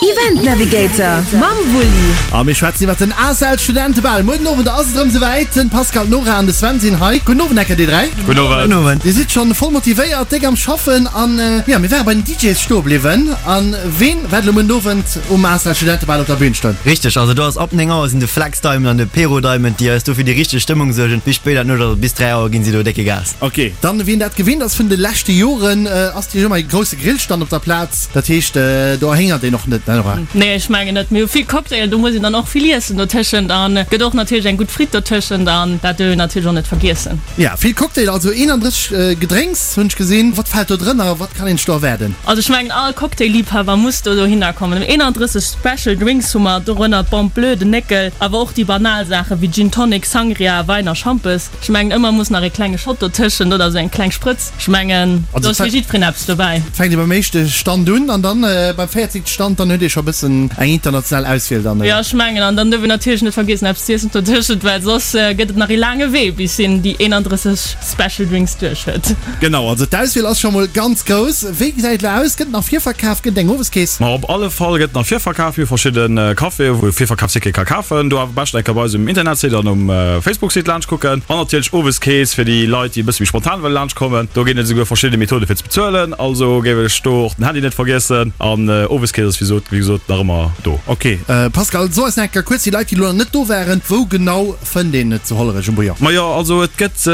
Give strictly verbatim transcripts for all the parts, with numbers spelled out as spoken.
Event Navigator mam Wulli. A mir schwätzen iwwer den A S L Studentebal. Muer den Owend ass et erëm souwäit. Den Pascal, d'Nora an de Sven sinn hei. Gudden Owend enker dir dräi. Gudden Owend. Gudden Owend. Dir sidd schonn voll motivéiert, déck am Schaffen an jo, mir ware bei den D Js stoe bliwwen. An ween wäert elo muer den Owend um A S L Studentebal op der Bühn stoen? Richteg, also do ass ab néng Auer sinn de Flex Diamond an de Pero Diamond, déi eis do fir déi richteg Stëmmung suergen. Bis spéit an d'Nuecht, also bis dräi Auer ginn si do décke Gas. Ok, dann wien dat gewinnt ass vun de leschte Joren, ass déi ëmmer e grousse Grillstand op der Plaz. Dat heescht, do erhéngert een och net, ne Nora? Nee, ech mengen net. Mir hu vill Cocktail, do muss een dann och vill iessen dotëschent an gëtt och natierlech eng gutt Fritt dotëschent an dat duerf een natierlech och net vergiessen. Ja, vill Cocktail, also eenandrësseg Gedrénks hunn ech gesinn. Wat fält do drënner? Wat kann een sech do erwaarden? Also ech mengen all Cocktail-Liebhaber muss do dohinner kommen. eenandrësseg Special Drinks hu mer, dorënner d'Bombe Bleue, den Néckel, awer och déi banal Saache wéi Gin Tonic, Sangria, Wäin a Schampes. Ech mengen ëmmer muss nach e klenge Shot dotëschent oder esou eng kleng Sprëtz. Ech mengen do ass fir jiddwereen eppes dobäi. Et fänkt ee beim éischte Stand un an dann beim véierzéngte Stand, dann huet ee scho bëssen eng international Auswiel dann. Jo, ech mengen an dann duerf een natierlech net vergiessen eppes z'iessen dotëschent, well soss gëtt et nach ee laange Wee bis een déi eenandrësseg Special Drinks duerch huet. Genau, also d'Auswiel ass scho mol ganz grouss. Wéi gesäit et elo aus? Gëtt et nach Virverkaf? Gëtt et eng Oweskeess? Ma op alle Fall gëtt et nach Virverkaf. Mir hu verschidde Caféë wou ee Virverkafsticket ka kafen. Do awer beschten eng Kéier bei eis um Internetsite an um Facebook-Site laanscht kucken. An natierlech Oweskeess fir déi Leit, déi e bësse méi spontan wëlle laanscht kommen. Do ginn et esouguer verschidde Methode fir ze bezuelen. Also géif ech do och den Handy net vergiessen. An Oweskeess ass wéi gesot nach ëmmer do. Ok Pascal, so eis nach eng Kéier kuerz, déi Leit déi elo nach net do waren, wou genau fënnt een et zu Hollerech um Bouillon? Majo, also et gëtt,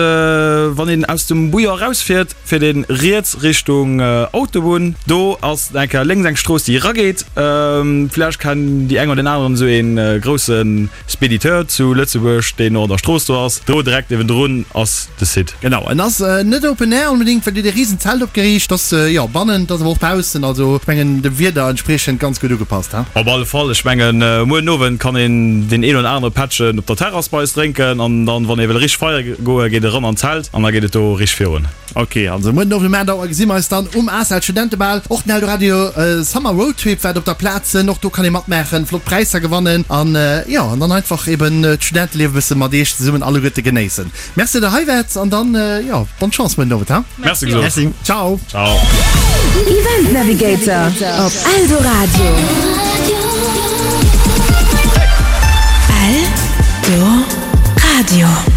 wann een aus dem Bouillon erausfiert, fiert een riets Richtung Autobunn. Do ass eng Kéier lénks eng Strooss déi erageet. Vläicht kennen déi eng oder deen aneren esou ee grousse Spediteur zu Lëtzebuerg, deen och an der Strooss do ass. Do direkt niewendrun ass de Site. Genau, en ass net open air onbedéngt, well dir hutt e risen Zelt opgeriicht. Ass jo bannen, et ass awer och baussen, also ech mengen dem Wieder entspriechend ganz gutt ugepasst, he? Op alle Fall, ech mengen muer den Owend kann een deen een oder anere Pättchen op der Terrass bei eis drénken an dann, wann ee wëll richteg feiere goen, geet e ran an d'Zelt an da geet et do richteg virun. Ok, also muer den Owend um aacht Auer gesi mer eis dann um A S L Studentebal. Och den Eldoradio Summer Road Trip waart op der Plaz sinn, och do kann ee matmaachen, flott Präisser gewannen an jo, an dann einfach eben d'Studenteliewe bësse mat iech zesummen alleguerte genéissen. Merci, datt der hei waart an dann jo, bonne Chance muer den Owend, ha? Merci gesot. Merci. Ciao. Ciao. Event Navigator op Eldoradio. Eldoradio.